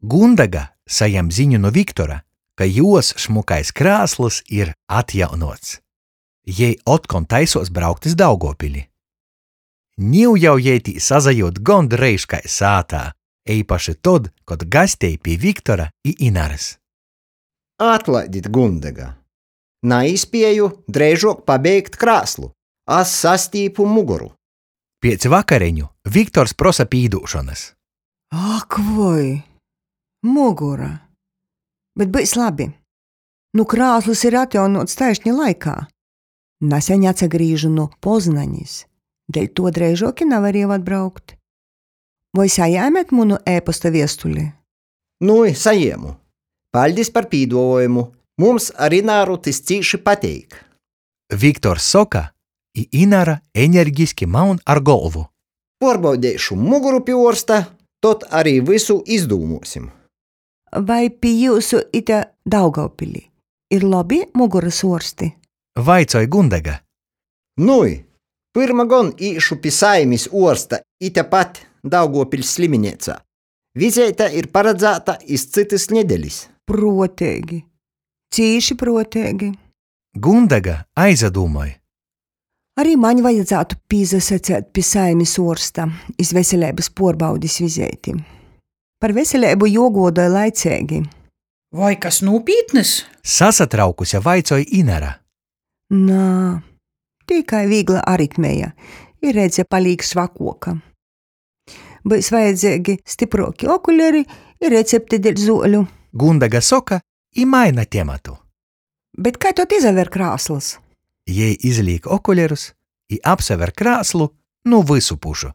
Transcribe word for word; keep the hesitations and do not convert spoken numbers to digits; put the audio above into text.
Gundega sajam ziņu nu Viktora, ka juos šmukais krāslys ir atjaunuots. Jei otkon taisuos braukt iz Daugovpili. Niu jau jei tī sasajiut gondreiž kai sātā, eipaši tod, kod gastej pi Viktora i Inarys. Atlaidit, Gundega. Naīspieju dreižuok pabeigt krāslu. As sastīpu mugoru. Piec vakareņu Viktors prosa pīdūšonys. Ak, voi! Mugura! Bet byus labi. Nu krāslys ir atjaunuots taišni laikā. Naseņ atsagrīžu nu Poznanis, deļ tuo dreižuok i navarieju atbraukt. Voi sajēmet munu e-posta viestuli? Nui, sajiemu. Paļdis par pīduovuojumu. Mums ar Ināru tys cīši pateik. Viktors soka, i Inara energiski maun ar golvu. Puorbaudeišu muguru pi uorsta, tod ari vysu izdūmuosim. Vai pi jiusu ite Daugovpilī ir lobi mugurys uorsti? Vaicoj Gundega. Nui, pyrma gon īšu pi saimis uorsta itepat Daugovpiļs slimineicā. Vizeite ir paradzāta iz cytys nedelis. Pruoteigi. Cīši pruoteigi. Gundega aizadūmoj. Ari maņ vajadzātu pīsasaceit pi saimis uorsta iz veseleibys puorbaudis vizeiti. Par veseleibu juoguodoj laiceigi. Voi kas nūpītnys? Sasatraukuse vaicoj Inara. Nā, tikai vīgla aritmeja i redze palīk švakuoka. Byus vajadzeigi stypruoki okuleri i recepte deļ zuoļu. Gundega soka i maina tematu. Bet kai tod izaver krāslys? Jei izlīk okulerus i apsaver krāslu nu vysu pušu.